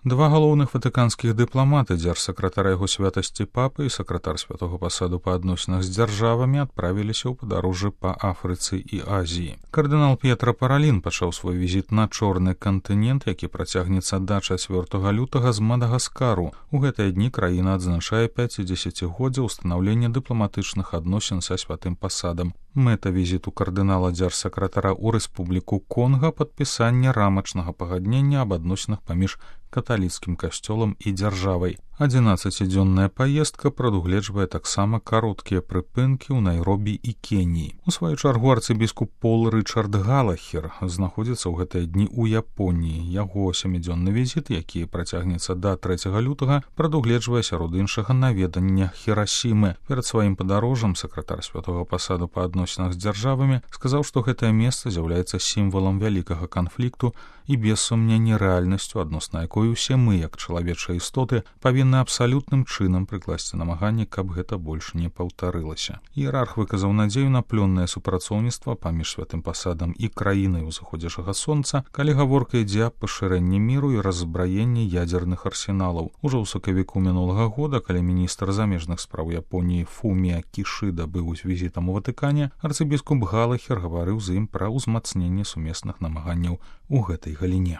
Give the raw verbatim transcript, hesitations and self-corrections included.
Два галоўных ватыканскіх дыпламаты, дзяржсакратар яго святасці папы і сакратар святого пасаду па адносінах з дзяржавамі адправіліся ў падарожжы па Афрыцы і Азіі. Кардынал П'етра Паралін пачаў свой візіт на чорны кантынент, які працягнецца да чацвёртага лютага з Мадагаскару. У гэтыя дні краіна адзначае пяцідзесяцігоддзе ўстанаўлення дыпламатычных адносін са святым пасадам. Мэта візіту кардынала дзяржсакратара ў Рэспубліку Конга падпісанне рамачнага пагаднення аб адносінах паміж каталіцкім касцёлам і дзяржавай. адзінаццацідзённая паездка прадугледжвае таксама кароткія прыпынкі ў Найробі і Кеніі. У сваю чаргу арцыбіскуп Пол Рычард Галахер знаходзіцца ў гэтыя дні ў Японіі. Яго сямідзённы візіт, які працягнецца да трэцяга лютага, прадугледжвае сярод іншага наведання Хірасімы. Перад сваім падарожжам сакратар святога пасаду па адносінах з дзяржавамі сказаў, што гэтае месца з'яўляецца сімвалам вялікага канфлікту і без сумнення рэальнасцю, адносна якой усе мы, як чалавечыя істоты, павінны абсалютным чынам прыкласці намаганні, каб гэта больш не паўтарылася. Іерарх выказаў надзею на плённае супрацоўніцтва паміж святым пасадам і краінай узыходзячага сонца, калі гаворка ідзе аб пашырэнні міру і раззбраенні ядзерных арсеналаў. Ужо ў сакавіку мінулага года, калі міністр замежных спраў Японіі Фумія Кішыда быў з візітам у Ватыкане, арцыбіскуп Галахер гаварыў з ім пра ўзмацненне сумесных намаганняў у гэтай галіне.